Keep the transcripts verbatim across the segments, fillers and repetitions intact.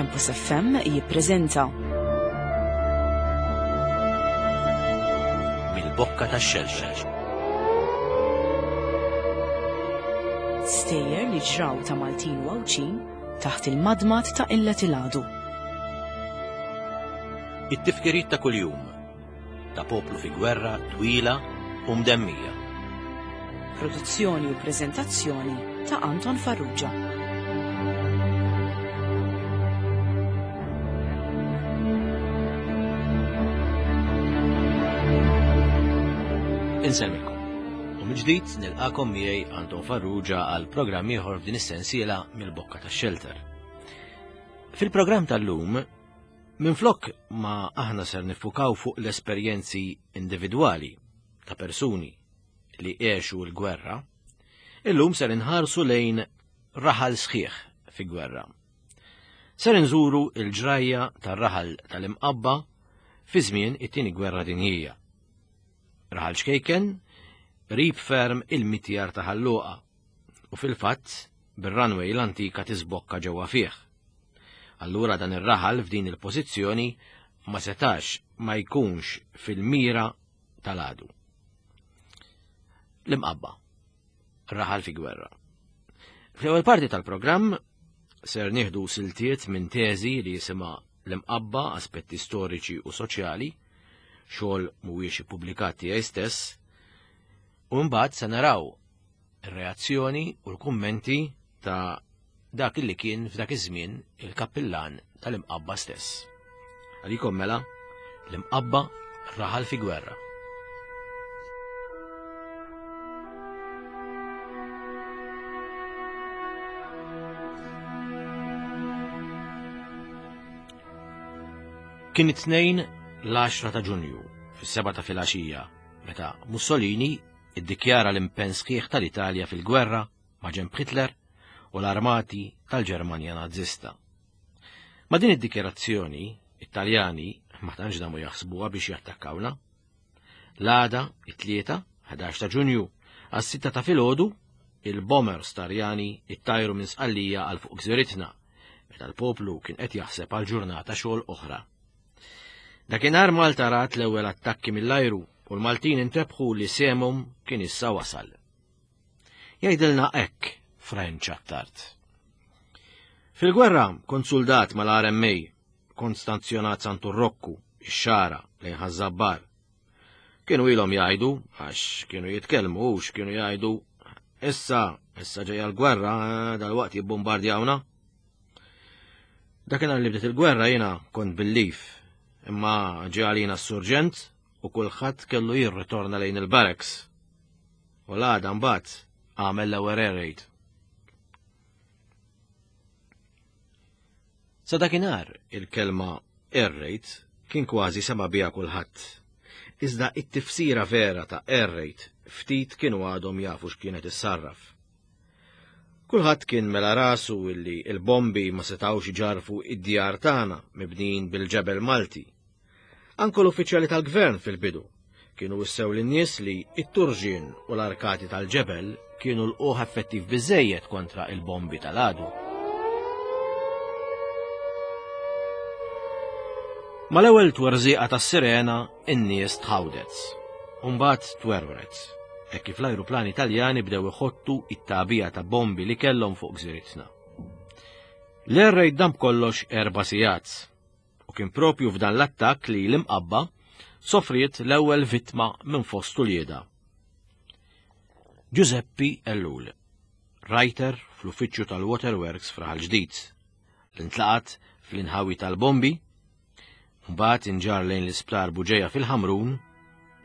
Campus F M jippreżenta Mill-Bokka tax-Xelxel. Stejjer li ġraw ta' Maltin u Għawdxin taħt il-madmad ta' qillet il-għadu. It-tifkiriet ta' kuljum ta' poplu fi gwerra twila u mdemmija. Produzzjoni u preżentazzjoni ta' Anton Farrugia. Insellmilkom. U mill-ġdid nilqakom miegħi Anton Farrugia għal programm ieħor f'din is-sensiela Mill-Bokka tax-Xelter. Fil-programm tal-lum, minflok ma aħna ser nifukaw fuq l-esperjenzi individwali ta' persuni li għexu l-gwerra, illum ser inħarsu lejn raħal sħiħ fi gwerra. Ser inżuru il-ġrajja tar-raħal tal-Imqabba fi żmien it-tieni gwerra dinjija. Raħal ċkejken, qrib ferm il-mitjar ta' Ħal Luqa u fil-fatt bir-runway l-antika tisbokka ġewwa fih. Allura dan ir-raħal f'din il-pożizzjoni ma setax ma jkunx fil-mira tal-għadu. L-Imqabba, raħal fi gwerra. Fl-ewwel parti tal-programm ser nieħdu siltiet minn teżi li jisimha L-Imqabba, aspetti storiċi u soċjali, xogħol mhuwiex ippubblikat tiegħi stess, u mbagħad se naraw ir-reazzjoni u l-kummenti ta' dak li kien f'dak iż-żmien il-kappillan tal-Imqabba stess. Għalikom mela L-Imqabba, raħal fi gwerra. Kien it-tnejn l-għaxra ta' Ġunju, fis-seba ta' filgħaxija, meta Mussolini iddikjara l-impenn sħiħ tal-Italja fil-gwerra ma' ġenb Hitler u l-armati tal-Ġermanja Nazista. Ma' din id-dikjarazzjoni, it-Taljani ma tantx damu jaħsbuha biex jattakkawna. L-għada, it-tlieta, ħdax ta' Ġunju, għas-sitta ta' filgħodu, il-bombers Taljani ittajru minn Sqallija għal fuq gżiritna, meta l-poplu kien qed jaħseb għal ġurnata xogħol oħra. Dakinhar Malta rat l-ewwel attakki mill-ajru u l-Maltin intebħu li semhom kien issa wasal. Jgħidilna hekk Frenċ Attard. Fil-gwerra kont soldat mal-R M A, kont stazzjonat Santu Rokku, ix-Xagħra, lejn Ħaż-Żabbar. Kienu ilhom jgħidu, għax kienu jitkellmu, u kienu jgħidu, issa, issa ġejja l-gwerra, dal-waqt jibbombardjawna. Dakinhar li bdiet il-gwerra jiena kont bil-leave, imma ġie għalina s-surġent u kulħadd kellu jirritorna lejn il-barracks. U l-għada mbagħad għamel l-ewwel air raid. Sa dakinhar il-kelma air raid kien kważi sema biha kulħadd. Iżda it-tifsira vera ta' air raid ftit kienu għadhom jafu x'kienet issarraf. Kulħadd kien mela rasu illi il-bombi ma setawx iġarfu id-djar tagħna mibnijin bil-ġebel Malti. Anke l-uffiċjali tal-gvern fil-bidu kienu wissew lin-nies li it-turġien u l-arkati tal-ġebel kienu lqugħ effettiv biżejjed kontra il-bombi tal-għadu. Mal-ewwel twerżiqa tas-sirena in-nies tħawdet, u mbagħad twerwret, hekk kif l-ajruplani Taljani bdew iħottu it-tagħbija ta' bombi li kellhom fuq gżiritna. L-air raid dam kollox erba' sigħat, u kien propju f'dan l-attakk li l-Imqabba sofriet l-ewwel vittma minn fost uliedha. Giuseppi Ellul, writer fl-uffiċċju tal-Waterworks f'Raħal Ġdid, li ntlaqat fl-inħawi tal-bombi, mbagħad inġar lejn l-isptar Buġeja fil-Ħamrun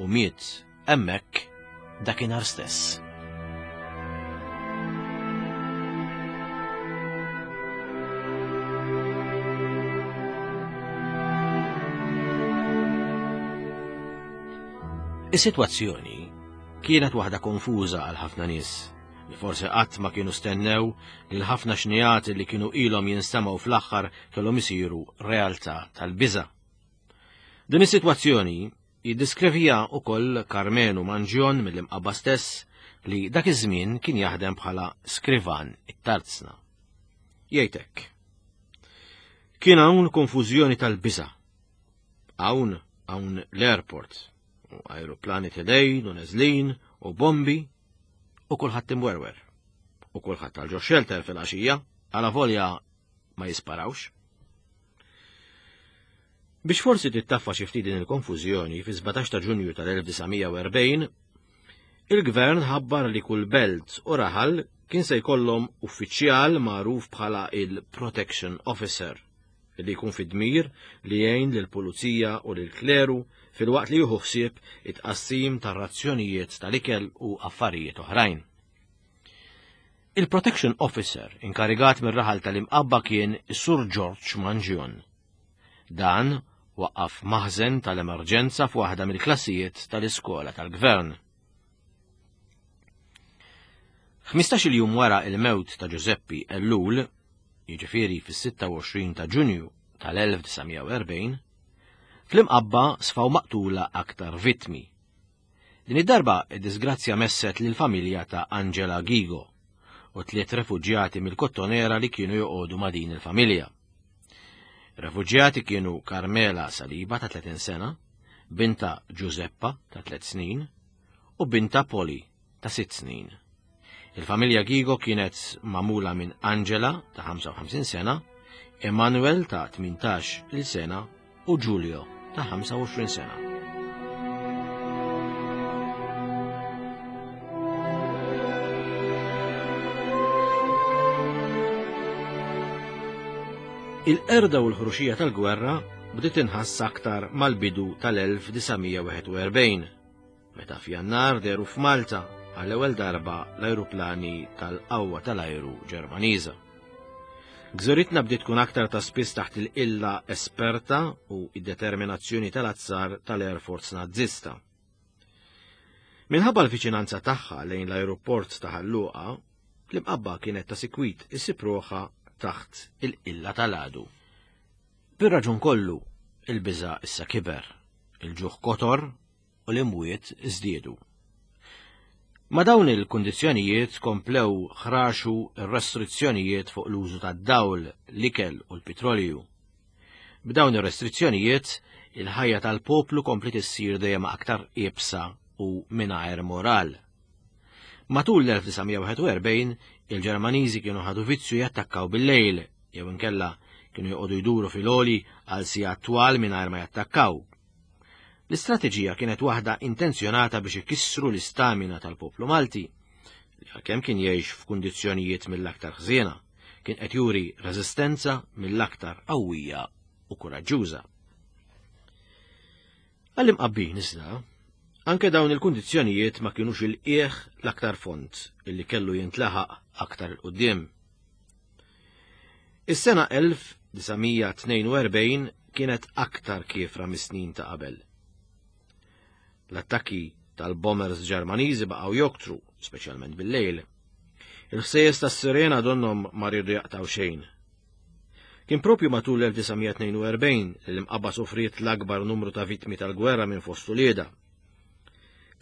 u miet hemmhekk dakinhar stess. Is-sitwazzjoni kienet waħda konfuża għal ħafna nies li forsi qatt ma kienu stennew li l-ħafna xnijat li kienu ilhom jinstemgħu fl-aħħar kellhom isiru realtà tal-biża'. Din is-sitwazzjoni jiddiskrivija wkoll Karmenu Manġjon mill-Imqabba stess li dak iż-żmien kien jaħdem bħala skrivan it-tarzna. Jgħidlek. Kien hawn konfużjoni tal-biża'. Hawn hawn l-airport, u aeroplani telejn u neżlin u bombi u kulħadd imwerwer. U kulħadd għal ġo shelter fil-għaxija, għala volja ma jisparawx. Biex forsi tittaffa xi ftit din il-konfużjoni, fi sbatax ta' Ġunju tal-elf disa' mija u erbgħin, il-gvern ħabbar li kull belt u raħal kien se jkollhom uffiċjal magħruf bħala il-Protection Officer, li jkun fid-dmir li jgħin lill-pulizija u lill-kleru filwaqt li jieħu ħsieb it-tqassim tar-razzjonijiet tal-ikel u affarijiet oħrajn. Il-Protection Officer inkarigat mir-raħal tal-Imqabba kien is-Sur George Mangion. Dan waqqaf maħżen tal-emerġenza f'waħda mill-klassijiet tal-iskola tal-gvern. Ħmistax-il jum wara il-mewt ta' Giuseppe Ellul, jiġifieri fis-sitta u għoxrin ta' Ġunju tal-elf disa' mija u erbgħin, fl-Imqabba sfaw maqtula aktar vittmi. Din id-darba id-disgrazzja messet lill-familja ta' Angela Ghigo u tliet refuġjati mill-Kottonera li kienu joqogħdu ma' din il-familja. Refuġjati kienu Carmela Saliba ta' tletin sena, binta Giuseppa ta' tliet snin u binta Poli ta' sitt snin. Il-familja Ghigo kienet magħmula minn Angela ta' ħamsa u ħamsin sena, Emanuel ta' tmintax il sena u Giulio ta' ħamsa u għoxrin sena. Il-qerda u l-ħruxija tal-gwerra bdiet inħass aktar mal-bidu tal-elf disa' mija wieħed u erbgħin, meta f'Jannar dehru f'Malta għall-ewwel darba l-ajruplani tal-qawwa tal-ajru Ġermaniża. Gżiritna bdiet tkun aktar ta' spiss taħt il-qilla esperta u id-determinazzjoni tal-azzar tal-Air Force Nazzista. Minħabba l-viċinanza tagħha lejn l-ajruport ta' Ħal Luqa, l-Imqabba kienet ta' sikwit issib ruħha taħt il-qilla tal-għadu. Bir-raġun kollu, il-biża' issa kiber, il-ġuħ kotor u l-imwiet żdiedu. Ma' dawn il-kundizzjonijiet komplew ħraxu r-restrizzjonijiet fuq l-użu tad-dawl, l-ikel u l-petrolju. B'dawn ir-restrizzjonijiet, il-ħajja tal-poplu kompliet issir dejjem aktar iebsa u mingħajr moral. Matul l-elf disa' mija wieħed u erbgħin, il-Ġermaniżi kienu ħadu vizzju jattakkaw bil-lejl, jew inkella kienu joqogħdu jduru fil-għoli għal sigħat twal mingħajr ma jattakkaw. L-istrateġija kienet waħda intenzjonata biex ikissru l-istamina tal-poplu Malti, li għalkemm kien jgħix f'kundizzjonijiet mill-aktar ħżiena, kien qed juri reżistenza mill-aktar qawwija u kuraġġuża. Għall-Imqabbin iżda, anke dawn il-kundizzjonijiet ma kienux il-qiegħ l-aktar fond illi kellu jintlaħaq aktar il-quddiem. Is-sena elf disa' mija tnejn u erbgħin kienet aktar kiefra mis-snin ta' qabel. L-attakki tal-bombers Ġermaniżi baqgħu joktru, speċjalment bil-lejl. Il-ħsejjes tas-sirena donhom ma riedu jaqtaw xejn. Kien propju matul l-elf disa' mija tnejn u erbgħin li l-Imqabba sofriet l-akbar numru ta' vittmi tal-gwerra minn fost uliedha.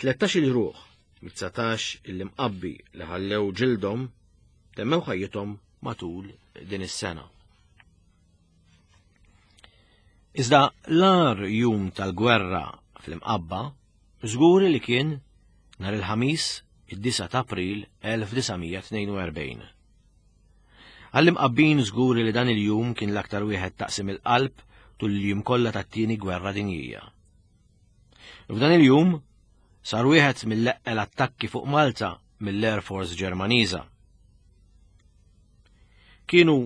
Tlettax-il ruħ mit-dsatax il-Imqabbi li ħallew ġildhom temmew ħajjithom matul din is-sena. Iżda l-agħar jum tal-gwerra fl-Imqabba żgur li kien nhar il-Ħamis id-disa' ta' April elf disa' mija tnejn u erbgħin. Għall-Imqabbin żgur li dan il-jum kien l-aktar wieħed taqsim il-qalb tul il-jum kollha tat-tieni gwerra dinjija. F'dan il-jum sar wieħed mill-eqqel attakki fuq Malta mill-Air Force Ġermaniża. Kienu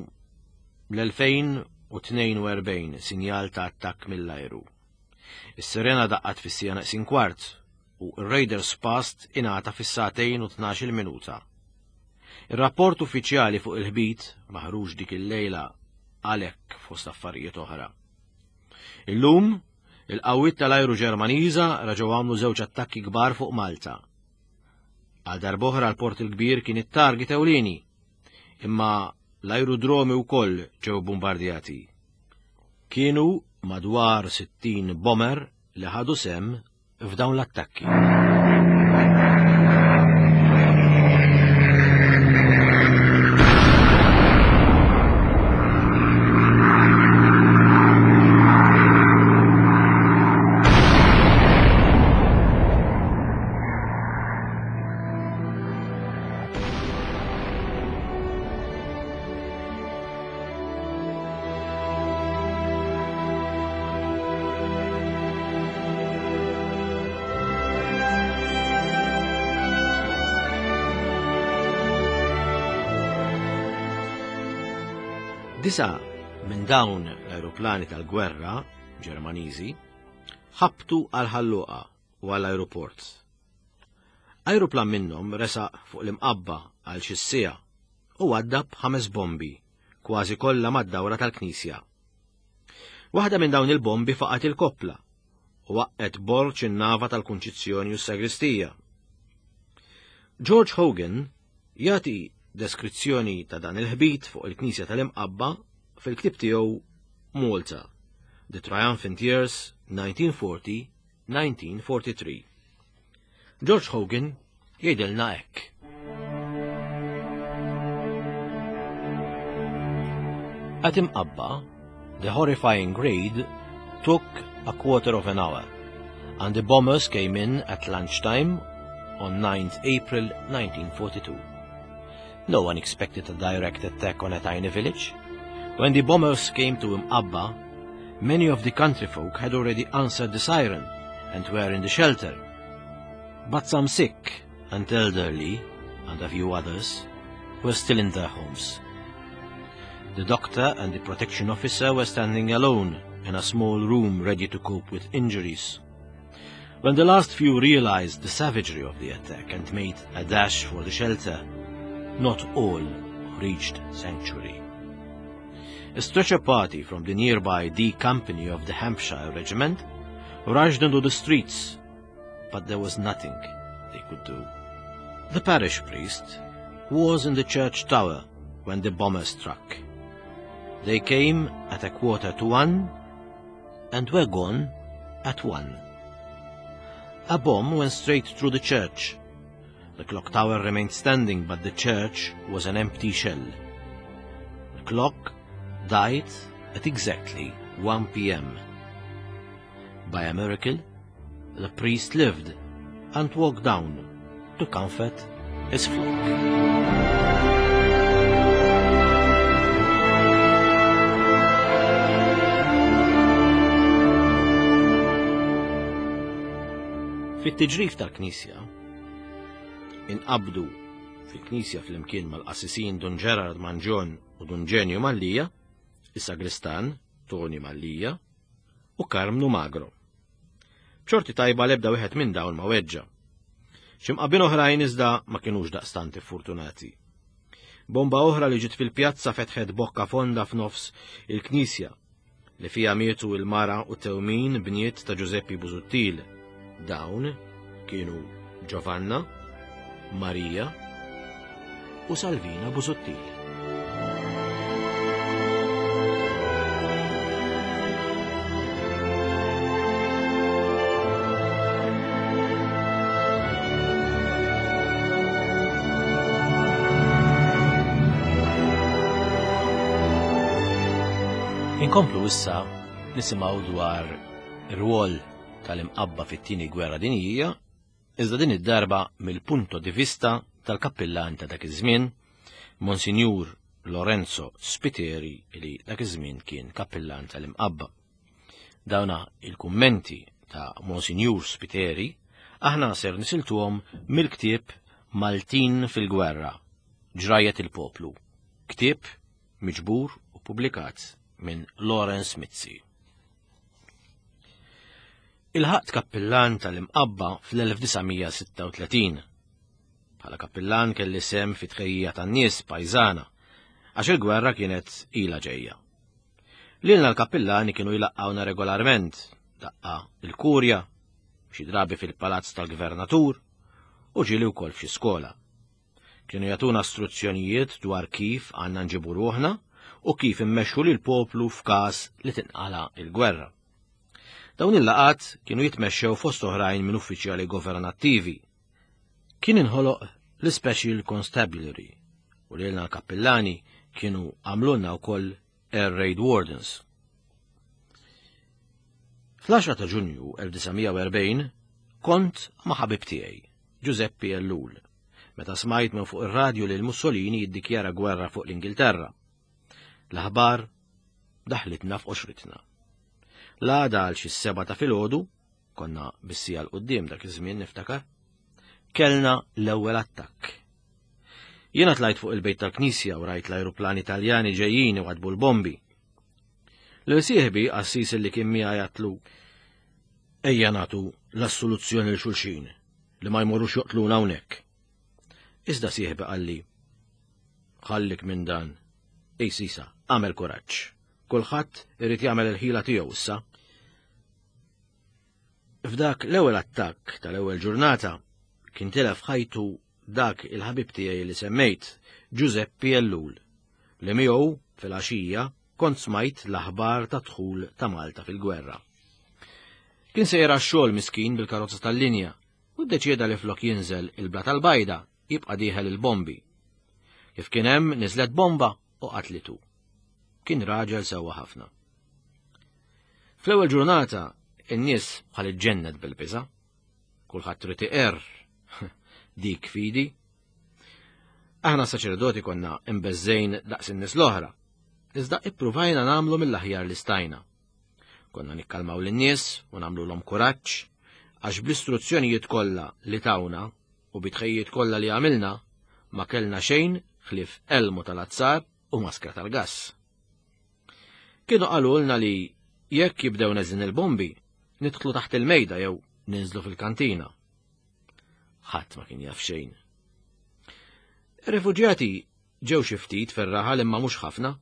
l-elfejn u tnejn u erbgħin sinjal ta' attakk mill-ajru. Is-sirena daqqat fis-sija neqsin kwart u r-Raiders Past ingħata fis-sagħtejn u tnax-il minuta. Ir-rapport uffiċjali fuq il-ħbit maħruġ dik il-lejla għalhekk fost affarijiet oħra. Illum, il-qawwiet tal-ajru Ġermaniża reġgħu għamlu żewġ attakki kbar fuq Malta. Għal darb'oħra l-Port il-Kbir kien it-target ewlieni, imma l-ajrudromi wkoll ġew bombardjati. Kienu madwar sittin bomber li ħadu sem f'dawn l-attakki. Disa minn dawn l-ajruplani tal-gwerra Ġermaniżi ħabtu għal Ħal Luqa u għall ajruport. Ajruplan minnhom resaq fuq l-Imqabba għal xi siegħa u waddab ħames bombi, kważi kollha mad-dawra tal-knisja. Waħda minn dawn il-bombi faqat il-koppla u waqqet borġ in-nava tal-Kunċizzjoni u s-Sagristija. George Hogan jagħti deskrizzjoni ta' dan il-ħbit fuq il-Knisja tal-Imqabba fil-ktieb tiegħu Malta, The Triumphant Years nineteen forty nineteen forty-three. George Hogan jgħidilna hekk. At Imqabba, the horrifying raid took a quarter of an hour, and the bombers came in at lunchtime on ninth April nineteen forty-two. No one expected a direct attack on a tiny village. When the bombers came to Mqabba, many of the countryfolk had already answered the siren and were in the shelter. But some sick and elderly, and a few others, were still in their homes. The doctor and the protection officer were standing alone in a small room, ready to cope with injuries. When the last few realized the savagery of the attack and made a dash for the shelter, not all reached sanctuary. A stretcher party from the nearby D Company of the Hampshire Regiment rushed into the streets, but there was nothing they could do. The parish priest was in the church tower when the bomber struck. They came at a quarter to one and were gone at one. A bomb went straight through the church. The clock tower remained standing, but the church was an empty shell. The clock died at exactly one p m. By a miracle, the priest lived and walked down to comfort his flock. Fit-tiġrif tal-Knisja, inqabdu fil-Knisja flimkien mal-qassisin Dun Gerard Mangion u Dun Ġenju Mallija, is-sagristan Tony Mallija u Karmnu Magro. B'xorti tajba lebda wieħed minn dawn ma weġġa. Xi Mqabbin oħrajn iżda ma kinux daqstant fortunati. Bomba oħra li ġiet fil-pjazza fetħet bokka fonda f'nofs il-Knisja li fija mietu il-mara u tewmin bniet ta' Giuseppi Busuttil. Dawn kienu Giovanna, Maria u Salvina Busuttil. Inkomplu issa nisimgħu dwar ir-rwol tal-Imqabba fit-tieni gwerra dinjija, iżda din id-darba mill-punto di vista tal-kappillan ta' dak iż-żmien, Monsignur Lorenzo Spiteri, li dak iż-żmien kien kappillan tal-Imqabba. Dawna il-kummenti ta' Monsignur Spiteri aħna ser nisiltuhom mill-ktieb Maltin fil-Gwerra, Ġrajet il-Poplu, ktieb miġbur u publikat minn Lawrence Mizzi. Ilħaqt kappillan tal-Imqabba fl-elf disa' mija sitta u tletin. Bħala kappillan kelli sehem fi tħejjija tan-nies pajżana, għax il-gwerra kienet ila ġejja. Lilna l-kappillani kienu jlaqqawna regolarment, daqqa il-kurja, xi drabi fil-palazz tal-gvernatur, u ġieli wkoll f'xi skola. Kienu jagħtuna istruzzjonijiet dwar kif għandna nġibu ruħna u kif immexxu lil poplu f'każ li tinqala il-gwerra. Dawn il-laqat kienu jitmexxew fost oħrajn minn uffiċjali governattivi. Kien inħoloq l-Special Constabulary u lilna l-kappillani kienu għamlulna wkoll Air Raid Wardens. Fl-għaxra ta' Ġunju elf disa' mija u erbgħin kont ma' ħabib tiegħi, Giuseppe Ellul, meta smajt minn fuq ir-radju li l-Mussolini jiddikjara gwerra fuq l-Ingilterra. L-aħbar daħlitna f'qoxritna. L-għada għal xi seba' ta' filgħodu, konna bis-siegħa 'l quddiem dak iż-żmien niftakar, kellna l-ewwel attakk. Jiena tlajt fuq il-bejt tal-knisja u rajt l-ajruplani Taljani ġejjin u għadbu l-bombi. Lil sieħbi qassis li kien miegħi għatlu ejja nagħtu l-assoluzzjoni lil xulxin li ma jmorrux joqtluna hawnhekk. Iżda sieħbi qalli ħallik minn dan. Ej sisa, għamel kuraġġ. Kulħadd irid jagħmel il-ħila tiegħu issa. F'dak l-ewwel attakk tal-ewwel ġurnata kien tilef ħajtu dak il-ħabib tiegħi li semmejt, Giuseppe Ellul, li miegħu fil-għaxija kont smajt l-aħbar ta' dħul ta' Malta fil-gwerra. Kien sejjer għax-xogħol miskin bil-karozza tal-linja u ddeċieda li flok jinżel il-bla tal-bajda jibqa' dieħel il-bombi. Kif kien hemm niżlet bomba u qatlitu. Kien raġel sewwa ħafna. Fl-ewwel ġurnata in-nies bħal iġġennet bil-biża'. Kulħadd trid iqerr dik fidi. Aħna saċerdoti konna imbeżżejn daqs in-nies l-oħra, iżda ippruvajna nagħmlu mill-aħjar li stajna. Konna nikkalmaw lin-nies u nagħmluhom kuraġġ għax bl-istruzzjonijiet kollha li tawna u bitħejjiet kollha li għamilna ma kellna xejn ħlief elmu tal-azzar u maskra tal-gass. Kienu qalulna li jekk jibdew neżin il-bombi, nidħlu taħt il-mejda jew ninżlu fil-kantina. Ħadd ma kien jaf xejn. Ir-refuġjati ġew xi ftit fir-raħal imma mhux ħafna.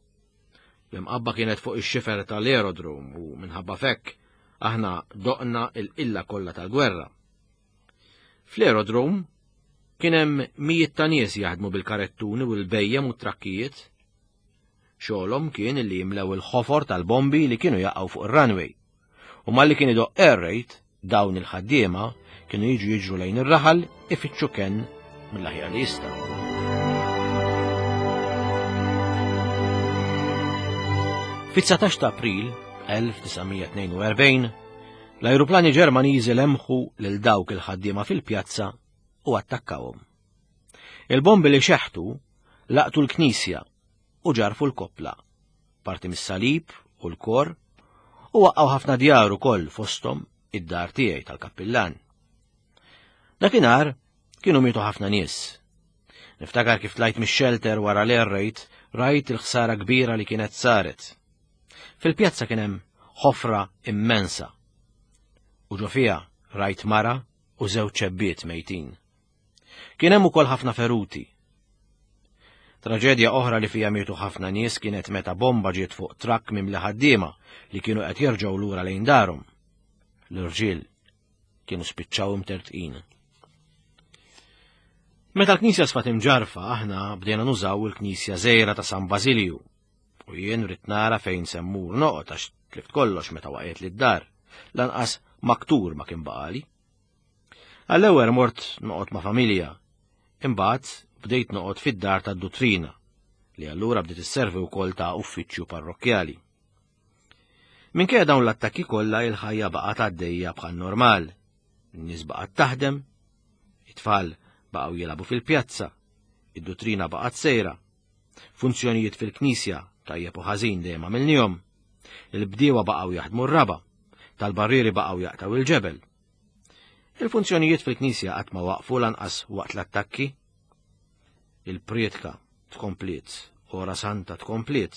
L-imqabba kienet fuq ix-xifer tal-aerodrom u minħabba fekk aħna doqna l-qilla kollha tal-gwerra. Fl-aerodrom kien hemm mijiet ta' nies jaħdmu bil-karettuni u l-bejjem u t-trakkijiet. Xogħolhom kien li jimlew il-ħofor tal-bombi li kienu jaqgħu fuq ir-runway. U malli kien idoq air raid, dawn il-ħaddiema kienu jiġu jiġru lejn ir-raħal ifittxu kenn mill-aħjar li jistgħu. Fit-dsatax ta' April elf disa' mija tnejn u erbgħin, l-ajruplani Ġermaniżi lemħu lil dawk il-ħaddiema fil-pjazza u attakkawhom. Il-bombi li xeħtu laqtu l-knisja u ġarfu l-koppla, parti mis-salib u l-kor, u waqqgħu ħafna djar ukoll fosthom id-dar tiegħi tal-kappillan. Dakinhar kienu mietu ħafna nies. Niftakar kif tlajt mix-shelter wara l-air raid, rajt il-ħsara kbira li kienet saret. Fil-pjazza kien hemm ħofra immensa. U ġo fiha rajt mara u żewġ ċebbiet mejtin. Kien hemm ukoll ħafna feruti. Traġedja oħra li fija mietu ħafna nies kienet meta bomba ġiet fuq trakk mimli ħaddiema li kienu qed jerġgħu lura lejn darhom. L-irġiel kienu spiċċaw imtertqin. Meta l-knisja sfat imġarfa, aħna bdejna nużaw il-knisja żgħira ta' San Basilju. U jien rrid nara fejn semmur noqgħod għax tlift kollox meta waqgħet lid-dar, lanqas maktur ma kien baqali. Għall-ewwel mort noqgħod ma' familja, imbagħad bdejt noqgħod fid-dar tad-duttrina, li allura bdiet isservi wkoll ta' uffiċċju parrokkjali. Minkejja dawn l-attakki kollha il-ħajja baqgħet għaddejja bħal normal. In-nies baqgħet taħdem, it-tfal baqgħu jilagħbu fil-pjazza, id-duttrina baqgħet sejra, funzjonijiet fil-knisja tajjeb u ħażin dejjem għamilnihom, il-bdiewa baqgħu jaħdmu r-raba, tal-barrieri baqgħu jaqtgħu il-ġebel. Il-funzjonijiet fil-knisja qatt ma waqfu lanqas waqt l-attakki. Il-prietka tkompliet, ora santa tkompliet.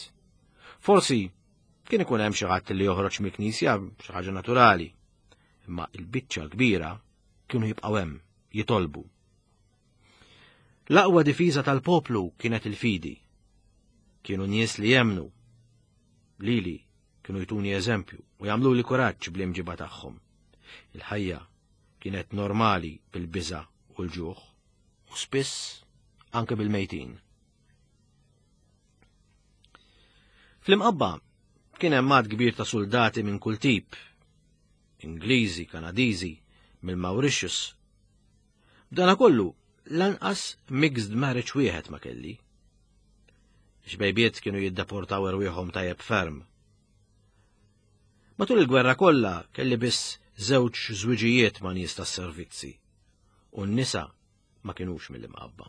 Forsi kien ikun hemm xi ħadd li joħroġ mill-knisja xi ħaġa naturali, imma il-biċċa l-kbira kienu jibqgħu hemm jitolbu. L-aqwa difiża tal-poplu kienet il-fidi. Kienu nies li jemnu. Lili kienu jtuni eżempju u jagħmlu li kuraġġ bl-imġiba tagħhom. Il-ħajja kienet normali bil-biża' u l-ġuħ, u spiss anke bil-mejtin. Fl-imqabba kien hemm għadd kbir ta' soldati minn kull tip, Ingliżi, Kanadiżi, mill-Mauritius. B'dana kollu lanqas mixed marriage wieħed ma kelli. Xbejbiet kienu jiddeportaw erwieħhom tajjeb ferm. Matul il-gwerra kollha kelli biss żewġ żwiġijiet ma' nies tas-servizzi, u n-nisa ma kinux mill-imqabba.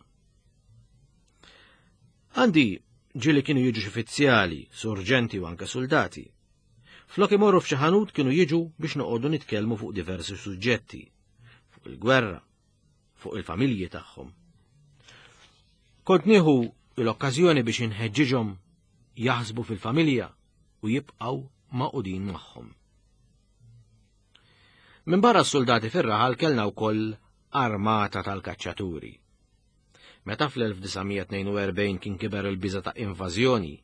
Għandi ġieli kienu jiġu xi fizzjali, surġenti u anke soldati. Flok imorru f'xi ħanut kienu jiġu biex noqogħdu nitkellmu fuq diversi suġġetti, fuq il-gwerra, fuq il-familji tagħhom. Kont nieħu l-okkażjoni biex inħeġġiġhom jaħsbu fil-familja u jibqgħu magħqudin magħhom. Minn barra s-soldati fir-raħal kellna wkoll armata tal-kaċċaturi. Meta fl-elf disa' mija tnejn u erbgħin kien kiber il-biża' ta' invażjoni,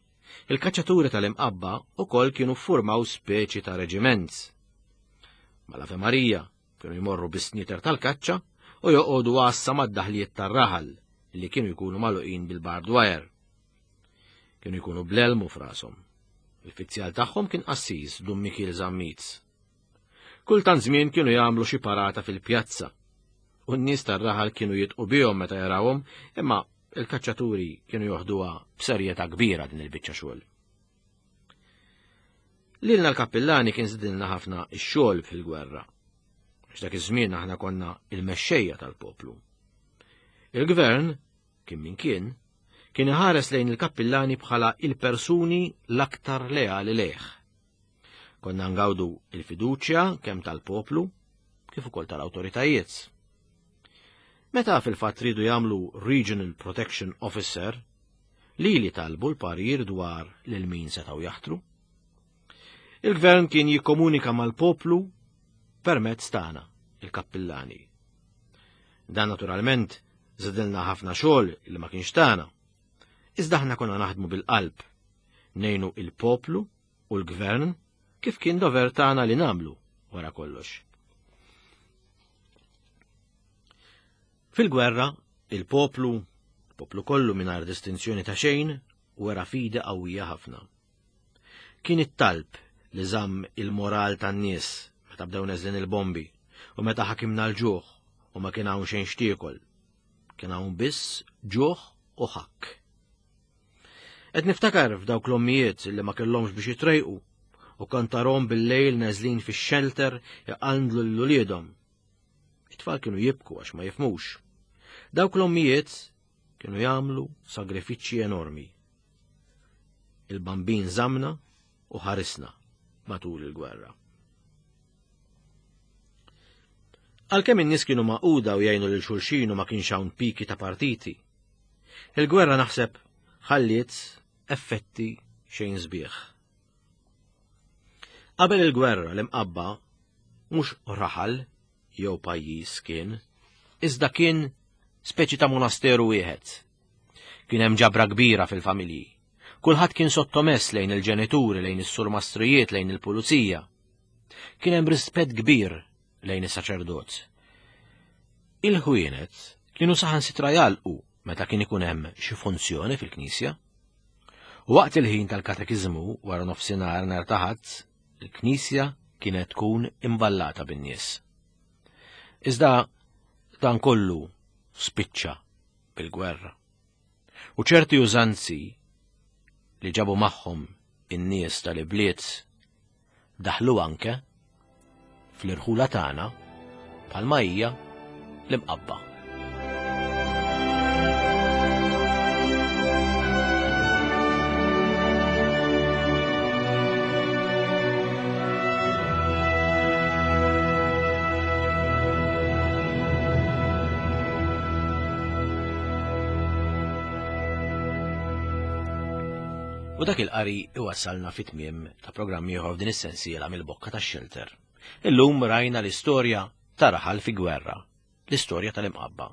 il-kaċċaturi tal-Imqabba wkoll kienu ffurmaw speċi ta' reġiment. Mal-Ave Marija kienu jmorru bis-sniter tal-kaċċa u joqogħdu għassa mad-daħliet tar-raħal li kienu jkunu magħluqin bil-barbed wire. Kienu jkunu bl-elmu f'rashom. Il-fizzjal tagħhom kien qassis Dun Mikiel Zammit. Kultant żmien kienu jagħmlu xi parata fil-pjazza. U n-nies tar-raħal kienu jitqu bihom meta jarawhom, imma il-kaċċaturi kienu joħduha b'serjetà kbira din il-biċċa xogħol. Lilna l-kappillani kien żidilna ħafna x-xogħol fil-gwerra. Għax dak iż-żmien aħna konna il-mexxejja tal-poplu. Il-gvern, kien min kien, kien iħares lejn il-kappillani bħala il-persuni l-aktar leali lejh. Konna ngawdu il-fiduċja kemm tal-poplu kif ukoll tal-awtoritajiet. Meta fil-fatt ridu jagħmlu Regional Protection Officer, lili talbu l-parir dwar lil min setgħu jaħtru. Il-gvern kien jikkomunika mal-poplu permezz tagħna, il-kappillani. Dan naturalment żidilna ħafna xogħol li ma kienx tagħna. Iżda aħna konna naħdmu bil-qalb, ngħinu il-poplu u l-gvern kif kien dover tagħna li nagħmlu wara kollox. Fil-gwerra, il-poplu, il-poplu kollu mingħajr distinzjoni ta' xejn, wera fidi qawwija ħafna. Kien it-talb li żamm il-moral tan-nies meta bdew neżlin il-bombi u meta ħakimna l-ġuħ u ma kien hawn xejn xtiekol. Kien hawn biss ġuħ u ħakk. Qed niftakar f'dawk l-ommijiet li ma kellhomx biex jitrejqu u kantarhom bil-lejl neżlin fix-xelter iqandlu lil uliedhom. It-tfal kienu jibku għax ma jifhmux. Dawk l-ommijiet kienu jagħmlu sagrifiċċji enormi. Il-bambin żamna u ħarisna matul il-gwerra. Għalkemm in-nies kienu magħquda u jgħinu lil xulxin u ma kienx hawn piki ta' partiti, il-gwerra naħseb ħalliet effetti xejn sbieħ. Qabel il-gwerra l-Imqabba mhux raħal jew pajjiż kien, iżda kien speċi ta' monasteru wieħed. Kien hemm ġabra kbira fil-familji. Kulħadd kien sottomess lejn il-ġenituri, lejn is-surmastrijiet, lejn il-pulizija. Kien hemm rispett kbir lejn is-saċerdot. Il-ħwienet kienu saħansitra jalqu meta kien ikun hemm xi funzjoni fil-knisja. U waqt il-ħin tal-katekiżmu wara nofsinhar nhar ta' Ħadd, il-knisja kienet tkun imballata bin-nies. Iżda dan kollu spiċċa bil-gwerra. U ċerti użanzi li ġabu magħhom in-nies tal-ibliet daħlu anke fl-irħula tagħna bħalma hija l-Imqabba. U dak il-qari iwassalna fit-tmiem ta' programm ieħor f'din is-sensiela mill-bokka tax-xelter. Illum rajna l-istorja ta' raħal fi gwerra, l-istorja tal-Imqabba.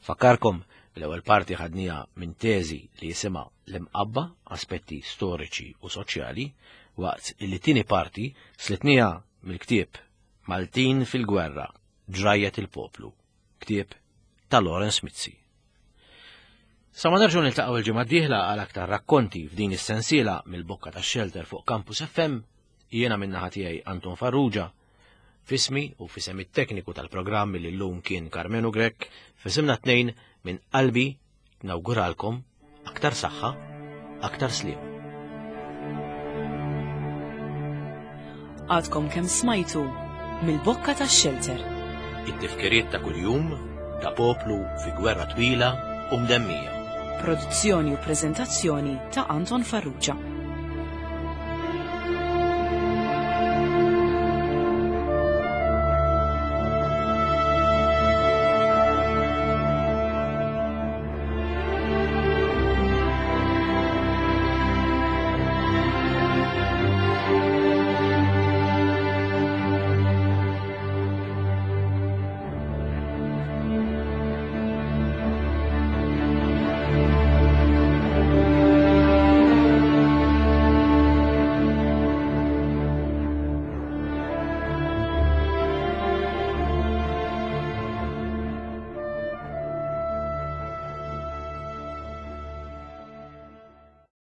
Fakkarkom l-ewwel parti ħadniha minn teżi li jisimha l-Imqabba, aspetti storiċi u soċjali, waqt li tieni parti slitniha mill-ktieb Maltin fil-Gwerra, Ġrajjet il-Poplu, ktieb ta' Lawrence Mizzi. Sa ma nerġgħu niltaqgħu l-ġimgħa d-dieħla għal aktar rakkonti f'din is-sensiela mill-bokka tax-xelter fuq Campus F M, jiena min-naħa tiegħi Anton Farrugia, fismi u fisem it-tekniku tal-programm li llum kien Karmenu Grech, fisimna tnejn minn qalbi nawguralkom aktar saħħa, aktar sliem. Għadkom kemm smajtu mill-bokka tax-xelter. It-tifkiriet ta' kuljum ta' poplu fi gwerra twila u mdemmija. Produzzjoni u preżentazzjoni ta' Anton Farrugia.